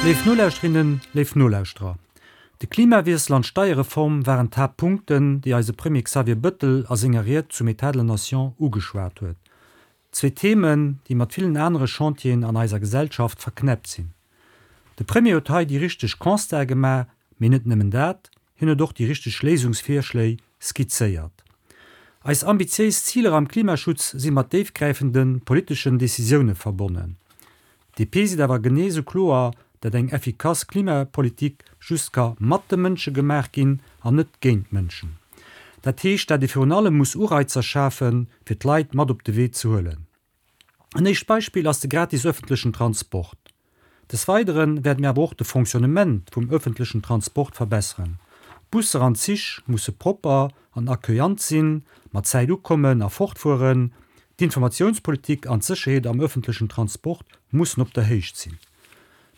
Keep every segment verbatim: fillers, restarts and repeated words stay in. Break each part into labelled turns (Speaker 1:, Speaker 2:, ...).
Speaker 1: Léif Nolauschterinnen, léif Nolauschterer, de Klimawiessel an d'Steierreform waren d'Haaptpunkten, déi eise Premier Xavier Bëttel a senger Ried zum État de la Nation ugeschwat huet. Zwee Themen, déi mat villen anere Chantieren an eiser Gesellschaft verknäppt sinn. De Premier huet hei déi richteg Constate gemaach, mee net nëmmen dat, hien huet och déi richteg Léisungsvirschléi skizzéiert. Eis ambitiéis Ziler am Klimaschutz si mat déifgräifende politeschen Decisioune verbonnen. D P seet awer genee sou kloer, dat eng effikass Klimapolitik just ka mat de Mënsche gemaach ginn an net géint d'Mënschen. Dat heescht, dat ee virun allem muss Ureizer schafen, fir d'Leit mat op de Wee ze huelen. En éischt Beispill ass de gratis ëffentlechen Transport. Des Weidere wäerte mir awer och de Fonctionnement vum ëffentlechen Transport verbesseren. D'Busser an d'Zich musse propper an accueillant sinn, mat Zäit ukommen a fortfueren. D'Informatiounspolitik an d'Sécherheet am ëffentlechen Transport mussen op der Héicht sinn.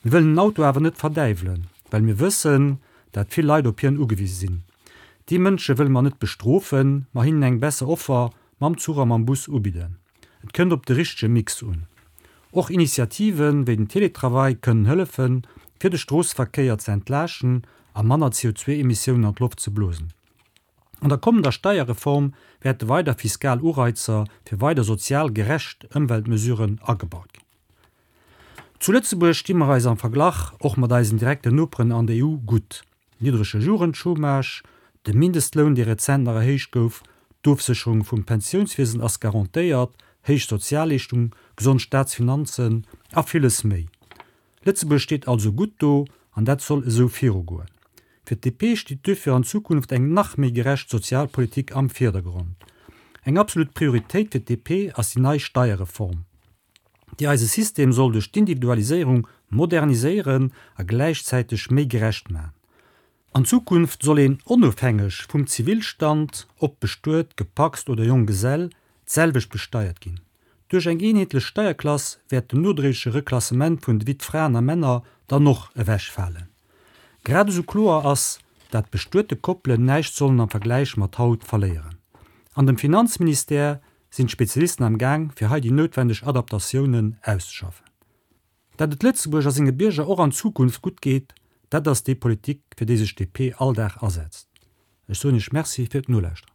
Speaker 1: Mir wëllen den Auto awer net verdäiwelen, well mir wëssen, dat vill Leit op hien ugewise sinn. Déi Mënsche wëlle mer net bestrofen, ma hinnen eng besser Offer mam Zuch a mam Bus ubidden. Et kënnt op de richtege Mix un. Och Initiativen wéi den Teletravail kënnen hëllefen, fir de Stroosseverkéier ze entlaaschten a manner C O zwei Emissiounen an d'Loft ze blosen. An der kommender Steierreform wäerte weider fiskal Ureizer fir weider sozial gerecht Ëmweltmesuren agebaut ginn. Zu Lëtzebuerg sti mer eis am Verglach och mat eisen direkten Noperen an der E U gutt. Niddrege Jugendchômage, de Mindestloun, dee rezent nach erhéicht gouf, d'Ofsécherung vum Pensiounswiesen ass garantéiert, héich Sozialleeschtung, gesond Staatsfinanzen a villes méi. Lëtzebuerg steet also gutt do an dat soll esou virugoen. Fir D P steet duerfir an Zukunft eng nach méi gerecht Sozialpolitik am Virdergrond. Eng absolut Prioritéit fir D P ass déi nei Steierreform, déi eise System soll duerch d'Individualiséierung moderniséieren a gläichzäiteg méi gerecht maachen. An Zukunft soll een onofhängeg vum Zivilstand, ob bestuet, gepacst oder Jonggesell, d'selwecht besteiert ginn. Duerch eng eenheetlech Steierklass wäert den nodréigleche Reklassement vun de Wittfraen a Männer dann och ewechfalen. Grad esou kloer ass, dat bestuete Koppelen näischt sollen am Vergläich mat haut verléieren. An dem Finanzministère sinn d'Spezialisten am Gaang, fir hei déi noutwenneg Adaptatiounen auszeschaffen. Dat et Lëtzebuerg a senge Bierger och an Zukunft gutt geet, dat ass déi Politik, fir déi sech D P all Dag asetzt. Ech soen Iech Merci fir d'Nolauschteren.